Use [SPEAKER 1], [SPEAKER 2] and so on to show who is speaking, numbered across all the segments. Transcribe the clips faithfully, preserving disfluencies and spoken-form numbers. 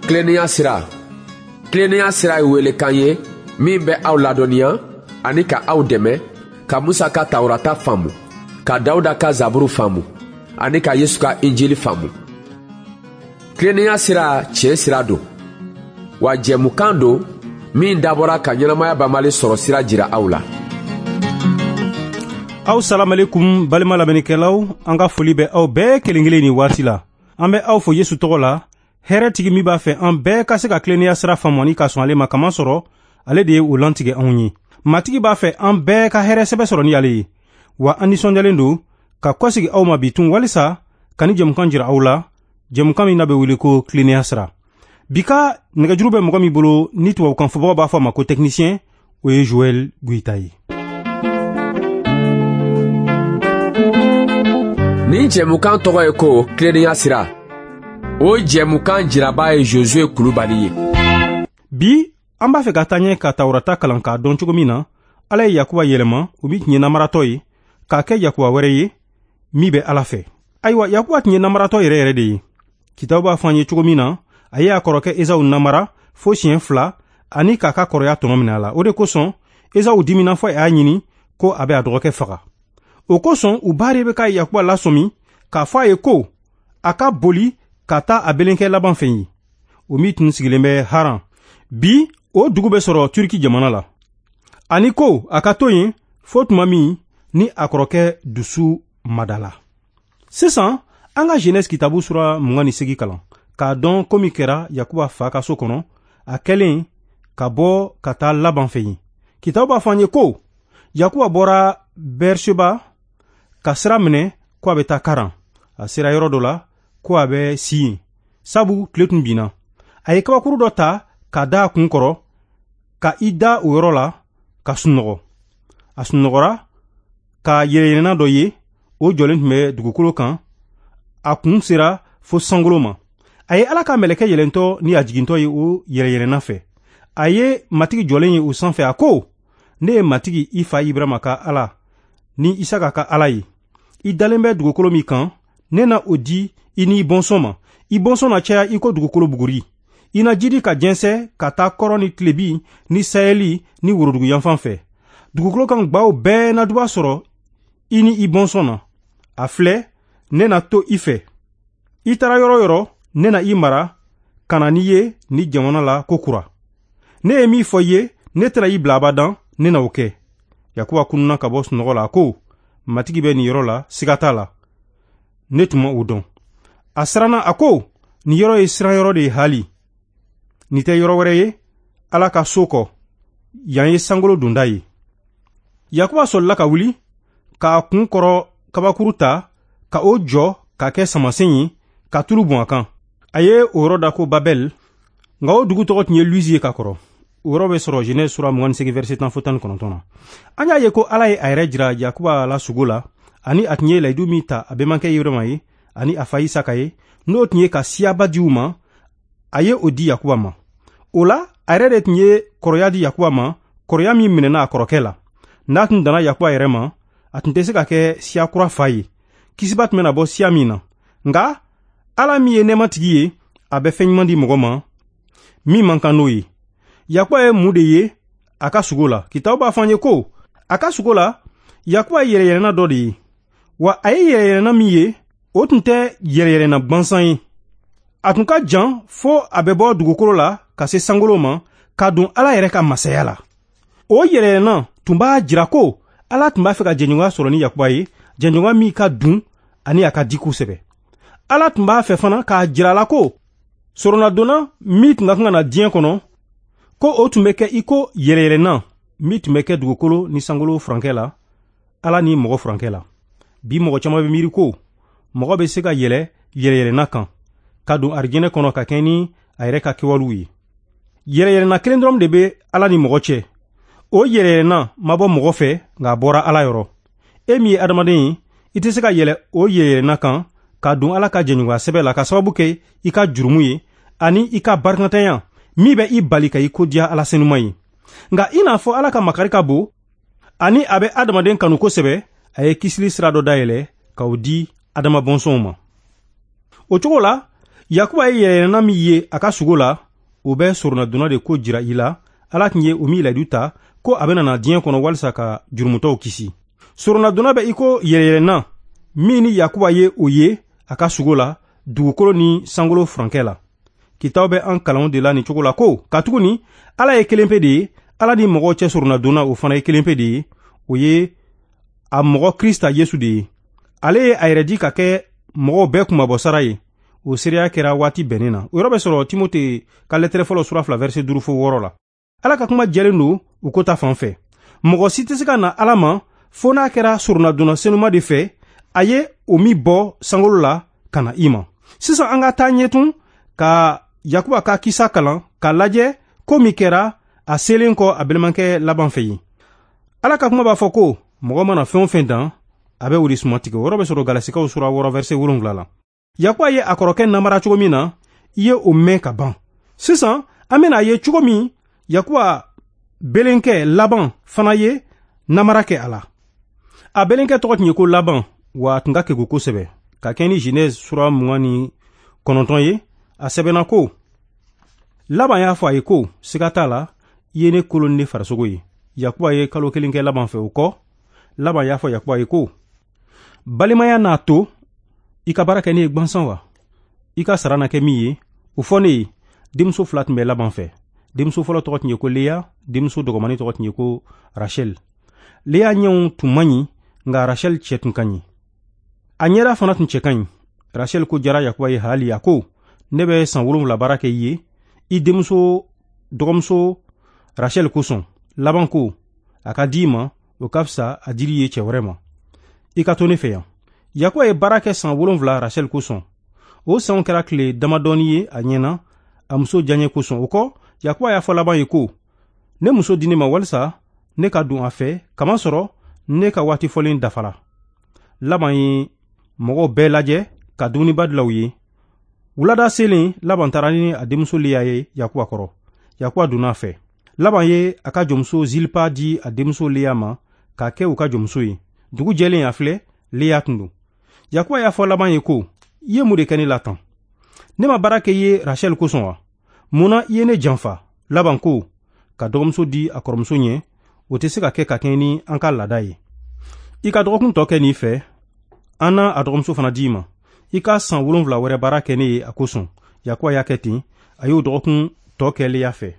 [SPEAKER 1] Tilennenya sira. Tilennenya sira ye welekan ye min bɛ aw ladɔnniya ani ka aw dɛmɛ ka Musa ka Tawurata faamu, ka Dawuda ka Zaburu faamu ani ka Yesu ka Injili faamu. Tilennenya sira tiɲɛ sira don, wa jɛmukan don min dabɔra ka ɲɛnamaya banbali sɔrɔ sira jira aw la.
[SPEAKER 2] Aw salamalekum balima lamɛnnikɛlaw, an ka foli bɛ aw bɛɛ kelen kelen nin waati la. An bɛ aw fo Yesu tɔgɔ la, hɛrɛtigi min b'a fɛ an bɛɛ ka se ka tilennenya sira faamu ani ka sɔn ale ma, kamasɔrɔ ale de ye o lantigɛ anw ye. Matigi b'a fɛ an bɛɛ ka hɛrɛ sɛbɛ sɔrɔ ni ale ye. Wa an nisɔndiyalen don ka kɔsegi aw ma bi tun walisa ka ni jɛmukan jira aw la, jɛmukan min n'a bɛ wele ko tilennenya sira. Bi ka nɛgɛjuru bɛ mɔgɔ min bolo ni tubabukan fɔbagaw b'a fɔ a ma ko technicien, o ye Joël Goïta ye.
[SPEAKER 1] Nin jɛmukan tɔgɔ ye ko tilennenya sira. O jɛmukan jiraba ye Josué Kulubali ye.
[SPEAKER 2] Bi an b'a fɛ ka taa ɲɛ ka Tawurata kalan k'a dɔn cogo min na Ala ye Yakuba yɛlɛma, o min tun ye namaratɔ ye, k'a kɛ Yakuba wɛrɛ ye min bɛ Ala fɛ. Ayiwa, Yakuba tun ye namaratɔ yɛrɛ yɛrɛ de ye. Kitabu b'a fɔ an ye cogo min na a ye a kɔrɔkɛ Esawu namara fo siɲɛ fila ani k'a ka kɔrɔya tɔnɔ minɛ a la. O de kosɔn Esawu dimina fɔ a y'a ɲini ko a bɛ a dɔgɔkɛ faga. O kosɔn u ba de bɛ ka Yakuba lasɔmi k'a fɔ a ye ko a ka boli ka taa a belenkɛ laban fɛ yen, o min tun sigilen bɛ Haran. Bi o dugu bɛ sɔrɔ Turki jamana la. Ani ko a ka to yen fo tuma min ni a kɔrɔkɛ dusu madala. Sisan an ka Genèse kitabu sura mugan ni seegin kalan k'a dɔn ko min kɛra Yakuba fa ka so kɔnɔ a kɛlen ka bɔ ka taa Laban fɛ yen. Kitabu b'a fɔ an ye ko Yakuba bɔra Berseba ka sira minɛ ko a bɛ taa Karan. A sera yɔrɔ dɔ la ko a bɛ si yen, sabu tile tun binna. A ye kabakuru dɔ ta ka da a kun kɔrɔ ka i da o yɔrɔ la ka sunɔgɔ. A sunɔgɔra ka yɛlɛyɛlɛnna dɔ ye, o jɔlen tun bɛ dugukolo kan, a kun sera fo sankolo ma. A ye Ala ka mɛlɛkɛ yɛlɛntɔ ni a jigintɔ ye o yɛlɛyɛlɛnna fɛ. A ye Matigi jɔlen ye o sanfɛ, a ko: ne ye Matigi i fa Ibrahima ka Ala ni Isaka ka Ala ye. I dalen bɛ dugukolo min kan, ne na o di i ni i bɔnsɔn ma. I bɔnsɔn na caya i ko dugukolo buguri. I na jidi ka jɛnsɛ ka taa kɔrɔ ni tilebi ni sayɛli ni worodugu yanfan fɛ. Dugukolo kan gwaw bɛɛ na duba sɔrɔ i ni i bɔnsɔn na. A filɛ, ne na to i fɛ. I taara yɔrɔ yɔrɔ, ne na i mara ka na n'i ye ni jamana la ko kura. Ne ye min fɔ i ye, ne tɛna i bila abadan, ne na o kɛ. Yakuba kununa ka bɔ sunɔgɔ la, a ko: Matigi bɛ nin yɔrɔ la, siga t'a la. Ne tun ma o dɔn. A siranna, a ko: nin yɔrɔ ye siranyɔrɔ de ye hali. Nin tɛ yɔrɔ wɛrɛ ye Ala ka so kɔ, yan ye sankolo donda ye. Yakuba sɔlila ka wuli k'a kun kɔrɔ kabakuru ta ka o jɔ k'a kɛ samasen ye ka tulu bɔn a kan. A ye o yɔrɔ da ko Babɛl, nka o dugu tɔgɔ tun ye Luzi ye ka kɔrɔ. O yɔrɔ bɛ sɔrɔ Genèse sura mugan ni seegin verset tan fo tan ni kɔnɔntɔn na. An y'a ye ko Ala ye a yɛrɛ jira Yakuba la sugo la, ani a tun ye layidu min ta a bɛnbakɛ Ibrahima ye ani a fa Isaka ye, n'o tun ye ka siyaba di u ma, a ye o di Yakuba ma. O la, a yɛrɛ de tun ye kɔrɔya di Yakuba ma, kɔrɔya min minɛna a kɔrɔkɛ la. N'a tun danna Yakuba yɛrɛ ma, a tun tɛ se ka kɛ siya kura fa ye. Kisiba tun bɛna bɔ siya min na. Nka Ala min ye nɛɛmatigi ye, a bɛ fɛn ɲuman di mɔgɔ ma min man kan n'o ye. Yakuba ye mun de ye a ka sugo la? Kitabu b'a fɔ an ye ko a ka sugo la, Yakuba ye yɛlɛyɛlɛnna dɔ de ye. Wa a ye yɛlɛyɛlɛnna min ye, o tun tɛ yɛlɛyɛlɛnna gwansan ye. A tun ka jan fo a bɛ bɔ dugukolo la ka se sankolo ma, ka don Ala yɛrɛ ka masaya la. O yɛlɛyɛlɛnna tun b'a jira ko Ala tun b'a fɛ ka jɛɲɔgɔnya sɔrɔ ni Yakuba ye, jɛɲɔgɔnya min ka dun ani a ka di kosɛbɛ. Ala tun b'a fɛ fana k'a jira a la ko soronadonna min tun ka kan ka na diɲɛ kɔnɔ, ko o tun bɛ kɛ i ko yɛlɛyɛlɛnna min tun bɛ kɛ dugukolo ni sankolo furankɛ la, Ala ni mɔgɔ furankɛ la. Bi mɔgɔ caman bɛ miiri ko mɔgɔ bɛ se ka yɛlɛ yɛlɛyɛlɛnna kan ka don arijinɛ kɔnɔ ka kɛ ni a yɛrɛ ka kɛwalew ye. Yɛlɛyɛlɛnna kelen dɔrɔn de bɛ Ala ni mɔgɔ cɛ. O yɛlɛyɛlɛnna ma bɔ mɔgɔ fɛ, nka a bɔra Ala yɔrɔ. E min ye adamaden ye, i tɛ se ka yɛlɛ o yɛlɛyɛlɛnna kan ka don Ala ka jɛɲɔgɔnya sɛbɛ la ka sababu kɛ i ka jurumu ye ani i ka barikantanya min bɛ i bali ka i ko diya Ala senuma ye. Nka i n'a fɔ Ala ka makari ka bon ani a bɛ adamaden kanu kosɛbɛ, a ye kisili sira dɔ dayɛlɛ k'o di adama bɔnsɔnw ma. O cogo la, Yakuba ye yɛlɛyɛlɛnna min ye a ka sugo la, o bɛ soronadonna de ko jira i la. Ala tun ye o min layidu ta ko a bɛna na diɲɛ kɔnɔ walisa ka jurumutɔw kisi. Soronadonna bɛ i ko yɛlɛyɛlɛnna min ni Yakuba ye o ye a ka sugo la dugukolo ni sankolo furankɛ la. Kitabu bɛ an kalanw de la nin cogo la ko katuguni Ala ye kelen pe de ye, Ala ni mɔgɔw cɛ soronadonna o fana ye kelen pe de ye, o ye a mɔgɔ Krista Yesu de ye. Ale ye a yɛrɛ di ka kɛ mɔgɔw bɛɛ kunmabɔsara ye. O seereya kɛra waati bɛnnen na. O yɔrɔ bɛ sɔrɔ Timote ka lɛtɛrɛ fɔlɔ sura fila verset duuru fo wɔɔrɔ la. Ala ka kuma jɛlen don o ko ta fan fɛ. Mɔgɔ si tɛ se ka na Ala ma fo n'a kɛra soronadonna senuma de fɛ, a ye o min bɔ sankolo la ka na i ma. Sisan an ka taa ɲɛ tun ka Yakuba ka kisa kalan k'a lajɛ ko min kɛra a selen kɔ a balimakɛ Laban fɛ yen. Ala ka kuma b'a fɔ ko mɔgɔ mana fɛn o fɛn dan, a bɛ o de suma tigɛ. O yɔrɔ bɛ sɔrɔ Galasikaw sura wɔɔrɔ verset wolonwula la. Yakuba ye a kɔrɔkɛ namara cogo min na, i ye o mɛn ka ban. Sisan an bɛna a ye cogo min Yakuba belenkɛ Laban fana ye namara kɛ a la. A belenkɛ tɔgɔ tun ye ko Laban, wa a tun ka kegun kosɛbɛ. Ka kɛ ni Genèse sura mugan ni kɔnɔntɔn ye, a sɛbɛnna ko Laban y'a fɔ a ye ko siga t'a la, i ye ne kolo ni ne farisogo ye. Yakuba ye kalo kelen kɛ Laban fɛ. O kɔ, Laban y'a fɔ Yakuba ye ko balimaya n'a to i ka baara kɛ ne ye gwansan wa? I ka sara na kɛ min ye, o fɔ ne ye. Denmuso fila tun bɛ Laban fɛ. Denmuso fɔlɔ tɔgɔ tun ye ko Leya, denmuso dɔgɔmani tɔgɔ tun ye ko Rachel. Leya ɲɛw tun man ɲi, nka Rachel cɛ tun ka ɲi. A ɲɛda fana tun cɛ ka ɲi. Rachel ko jara Yakuba ye hali, a ko ne bɛ san wolonwula baara kɛ i ye i denmuso dɔgɔmuso Rachel kosɔn. Laban ko a ka di i ma, o ka fisa a dili ye cɛ wɛrɛ ma. I ka to ne fɛ yan. Yakuba ye baara kɛ san wolonwula Rachel kosɔn. O sanw kɛra tile damadɔni ye a ɲɛna a muso diyaɲɛ kosɔn. O kɔ, Yakuba y'a fɔ Laban ye ko ne muso di ne ma walisa ne ka don a fɛ, kamasɔrɔ ne ka waati fɔlen dafara. Laban ye mɔgɔw bɛɛ lajɛ ka dumuniba dilan u ye. Wulada selen, Laban taara ni a denmuso Leya ye Yakuba kɔrɔ. Yakuba donna a fɛ. Laban ye a ka jɔnmuso Zilpa di a denmuso Leya ma k'a kɛ u ka jɔnmuso ye. Dugu jɛlen, a filɛ, Leya tun don. Yakuba y'a fɔ Laban ye ko i ye mun de kɛ ne la tan? Ne ma baara kɛ i ye Rachel kosɔn wa? Mun na i ye ne janfa? Laban ko ka dɔgɔmuso di a kɔrɔmuso ɲɛ, o tɛ se ka kɛ ka kɛɲɛ ni an ka laada ye. I ka dɔgɔkun tɔ kɛ nin fɛ, an na a dɔgɔmuso fana di i ma. I ka san wolonwula wɛrɛ baara kɛ ne ye a kosɔn. Yakuba y'a kɛ ten, a y'o dɔgɔkun tɔ kɛ Leya fɛ.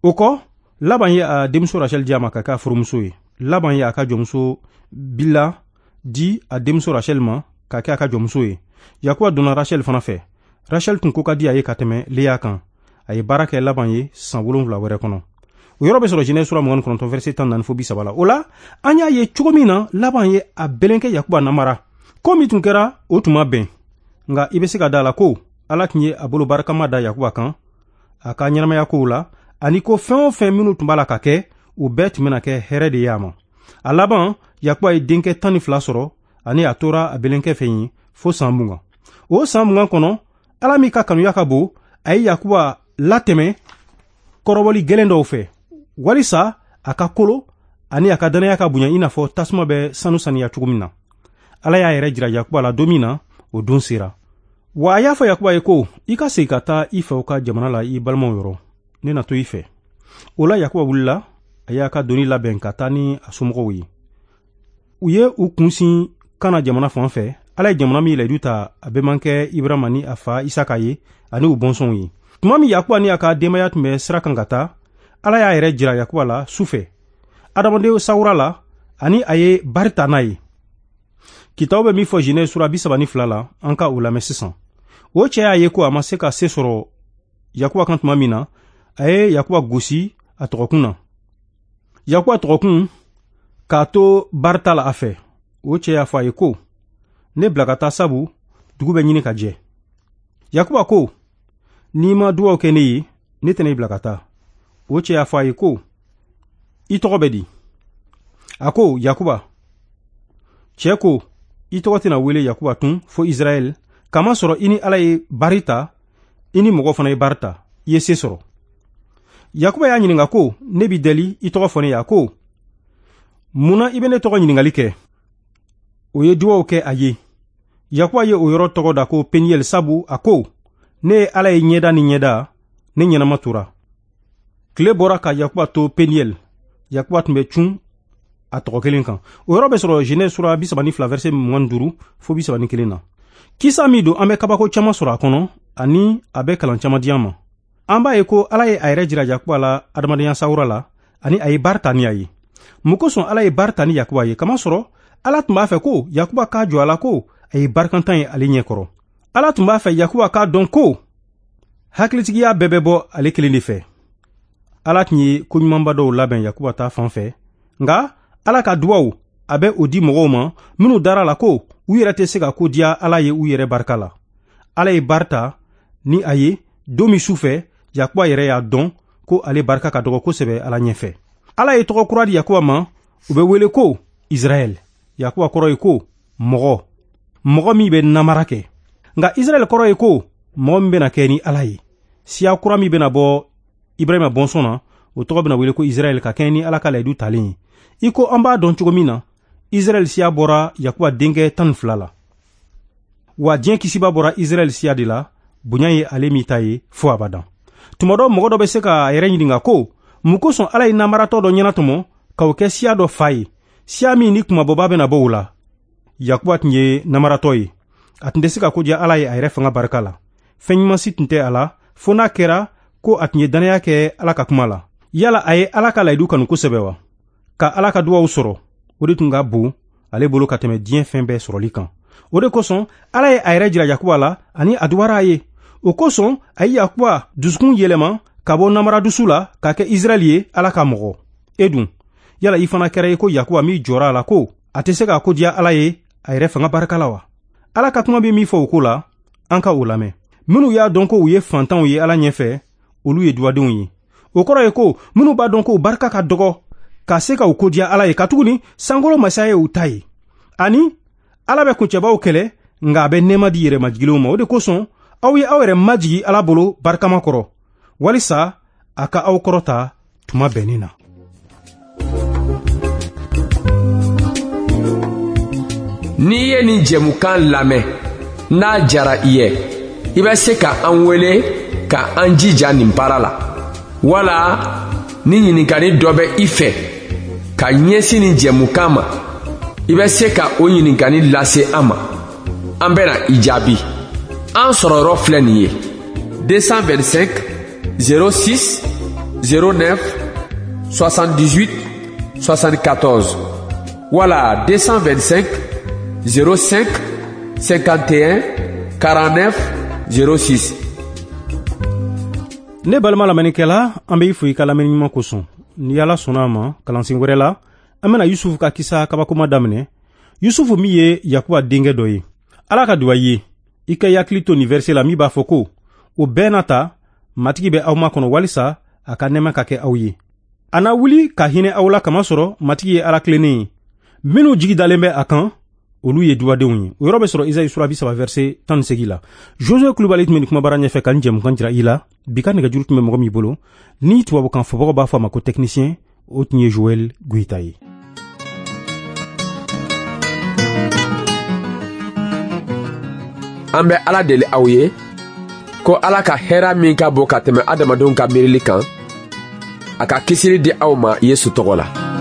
[SPEAKER 2] O kɔ, Laban ye a denmuso Rachel di a ma ka kɛ a furumuso ye. Laban ye a ka jɔnmuso Bila di a denmuso Rachel ma ka kɛ a ka jɔnmuso ye. Yakuba donna Rachel fana fɛ. Rachel tun ko ka di a ye ka tɛmɛ Leya kan. A ye baara kɛ Laban ye san wolonwula wɛrɛ kɔnɔ. O yɔrɔ bɛ sɔrɔ Genèse sura mugan ni kɔnɔntɔn verset tan naani fo bi saba la. O la, an y'a ye cogo min na Laban ye a belenkɛ Yakuba namara. Ko min tun kɛra, o tun ma bɛn. Nka i bɛ se ka da la ko Ala tun ye a bolo barikama da Yakuba kan a ka ɲɛnamaya kow la, ani ko fɛn o fɛn minnu tun b'a la ka kɛ, o bɛɛ tun bɛna kɛ hɛrɛ de ye a ma. A laban, Yakuba ye denkɛ tan ni fila sɔrɔ, ani a tora a belenkɛ fɛ yen fo san mugan. O san mugan kɔnɔ, Ala min ka kanuya ka bon, a ye Yakuba latɛmɛ kɔrɔbɔli gɛlɛn dɔw fɛ, walisa a ka kolo ani a ka danaya ka bonya i n'a fɔ tasuma bɛ sanu saniya cogo min na. Ala y'a yɛrɛ jira Yakuba la don min na, o don sera. Wa a y'a fɔ Yakuba ye ko i ka segin ka taa i faw ka jamana la i balimaw yɔrɔ, ne na to i fɛ. O la, Yakuba wulila, a y'a ka doni labɛn ka taa ni a somɔgɔw ye. U ye u kun sin Kana jamana fan fɛ. Ala ye jamana min layidu ta a bɛnbakɛ Ibrahima ni a fa Isaka ye ani u bɔnsɔnw ye. Tuma min Yakuba ni a ka denbaya tun bɛ sira kan ka taa, Ala y'a yɛrɛ jira Yakuba la su fɛ adamaden sawura la, ani a ye bari ta n'a ye. Kitabu bɛ min fɔ Genèse sura bi saba ni fila la, an ka o lamɛn sisan. O cɛ y'a ye ko a ma se ka se sɔrɔ Yakuba kan tuma min na, a ye Yakuba gosi a tɔgɔkun na. Yakuba tɔgɔkun k'a to barita la a fɛ. O cɛ y'a fɔ a ye ko ne bila ka taa, sabu dugu bɛ ɲini ka jɛ. Yakuba ko n'i ma dugawu kɛ ne ye, ne tɛna i bila ka taa. O cɛ y'a fɔ a ye ko i tɔgɔ bɛ di? A ko Yakuba. Cɛ ko i tɔgɔ tɛna wele Yakuba tun fo Israɛl, kamasɔrɔ i ni Ala ye bari ta, i ni mɔgɔ fana ye bari ta, i ye se sɔrɔ. Yakuba y'a ɲininka ko ne b'i deli, i tɔgɔ fɔ ne ye. A ko mun na i bɛ ne tɔgɔ ɲininkali kɛ? O ye dugawu kɛ a ye. Yakuba ye o yɔrɔ tɔgɔ da ko Peniel, sabu a ko Ne ye Ala ye ɲɛda ni ɲɛda, ne ɲɛnama tora. Tile bɔra ka Yakuba to Peniel. Yakuba tun bɛ cun a tɔgɔ kelen kan. O yɔrɔ bɛ sɔrɔ Genèse sura bi saba ni fila verset mugan ni duuru fo bi saba ni kelen na. Kisa min don, an bɛ kabako caman sɔrɔ a kɔnɔ ani a bɛ kalan caman di an ma. An b'a ye ko Ala ye a yɛrɛ jira Yakuba la adamadenya sawura la ani a ye baara ta ni a ye. Mun kosɔn Ala ye baara ta ni Yakuba ye? Kamasɔrɔ Ala tun b'a fɛ ko Yakuba k'a jɔ a la ko a ye barikantan ye ale ɲɛkɔrɔ. Ala tun b'a fɛ Yakuba k'a dɔn ko hakilitigiya bɛɛ bɛ bɔ ale kelen de fɛ. Ala tun ye koɲumanba dɔw labɛn Yakuba ta fan fɛ, nka Ala ka duwaw a bɛ o di mɔgɔw ma minnu dara la ko u yɛrɛ tɛ se ka ko diya Ala ye u yɛrɛ barika la. Ala ye baara ta ni a ye don min su fɛ, Yakuba yɛrɛ y'a dɔn ko ale barika ka dɔgɔ kosɛbɛ Ala ɲɛfɛ. Ala ye tɔgɔ kura di Yakuba ma, u bɛ wele ko Israɛl. Yakuba kɔrɔ ye ko mɔgɔ, mɔgɔ min bɛ namara kɛ. Nka Israɛl kɔrɔ ye ko mɔgɔ min bɛna kɛ ni Ala ye. Siya kura min bɛna bɔ Ibrahima bɔnsɔn na, o tɔgɔ bɛna wele ko Israɛl ka kɛɲɛ ni Ala ka layidu talen ye. I ko an b'a dɔn cogo min na, Israɛl siya bɔra Yakuba denkɛ tan ni fila la. Wa diɲɛ kisiba bɔra Israɛl siya de la, bonya ye ale min ta ye fo abadan. Tuma dɔ mɔgɔ dɔ bɛ se k'a yɛrɛ ɲininka ko mun kosɔn Ala ye namaratɔ dɔ ɲɛnatɔmɔ k'o kɛ siya dɔ fa ye, siya min ni kumabɔba bɛna bɔ o la. Yakuba tun ye namaratɔ ye. A tun tɛ se ka ko diya Ala ye a yɛrɛ fanga barika la. Fɛn ɲuman si tun tɛ a la fo n'a kɛra ko a tun ye dannaya kɛ Ala ka kuma la. Yala a ye Ala ka layidu kanu kosɛbɛ wa? Ka Ala ka duwaw sɔrɔ, o de tun ka bon ale bolo ka tɛmɛ diɲɛ fɛn bɛɛ sɔrɔli kan. O de kosɔn Ala ye a yɛrɛ jira Yakuba la ani a duwara a ye. O kosɔn a ye Yakuba dusukun yɛlɛma ka bɔ namara dusu la k'a kɛ Israɛl ye, Ala ka mɔgɔ. E dun, yala i fana kɛra i ko Yakuba min jɔra a la ko a tɛ se k'a ko diya Ala ye a yɛrɛ fanga barika la wa? Ala ka kuma bɛ min fɔ o ko la, an ka o lamɛn. Minnu y'a dɔn ko u ye fantanw ye Ala ɲɛfɛ, olu ye duwadenw ye. O kɔrɔ ye ko minnu b'a dɔn ko barika ka dɔgɔ ka se ka u ko diya Ala ye, katuguni sankolo masaya ye u ta ye. Ani Ala bɛ kuncɛbaw kɛlɛ, nka a bɛ nɛɛma di yɛrɛmajiginlenw ma. O de kosɔn aw ye aw yɛrɛ majigi Ala bolo barikama kɔrɔ, walisa a ka aw kɔrɔta tuma bɛnnen na.
[SPEAKER 1] N'i ye nin jɛmukan lamɛn, n'a jara i ye, i bɛ se ka an wele ka an jija nin baara la. Wala ni ɲininkali dɔ bɛ i fɛ ka ɲɛsin nin jɛmukan ma, i bɛ se ka o ɲininkali lase an ma. An bɛna i jaabi. An sɔrɔ yɔrɔ filɛ nin ye: deux cent vingt-cinq zéro six zéro neuf soixante-dix-huit soixante-quatorze wala deux cent vingt-cinq zéro cinq cinquante et un quarante-neuf zéro six.
[SPEAKER 2] Ne balima lamɛnnikɛla, an bɛ i fo i ka lamɛnni ɲuman kosɔn. Ni Ala sɔnna a ma, kalansen wɛrɛ la, an bɛna Yusufu ka kisa kabakoma daminɛ. Yusufu min ye Yakuba denkɛ dɔ ye. Ala ka duwa i ye. I ka i hakili to nin verset la min b'a fɔ ko o bɛɛ n'a ta, Matigi bɛ aw makɔnɔ walisa a ka nɛɛma ka kɛ aw ye. A na wuli ka hinɛ aw la, kamasɔrɔ Matigi ye Ala tilennen ye. Minnu jigi dalen bɛ a kan, olu ye duwadenw ye. O yɔrɔ bɛ sɔrɔ Isayi sura bi saba verset tan ni segin la. Josue Kulubali tun bɛ nin kumabara ɲɛfɛ ka nin jɛmukan jira i la. Bi ka nɛgɛjuru tun bɛ mɔgɔ min bolo, ni tubabukan fɔbagaw b'a fɔ a ma ko technicien, o tun ye Joël Goyita ye.
[SPEAKER 1] An bɛ Ala deli aw ye ko Ala ka hɛrɛ min ka bon ka tɛmɛ adamadenw ka miirili kan, a ka kisili di aw ma Yesu tɔgɔ la.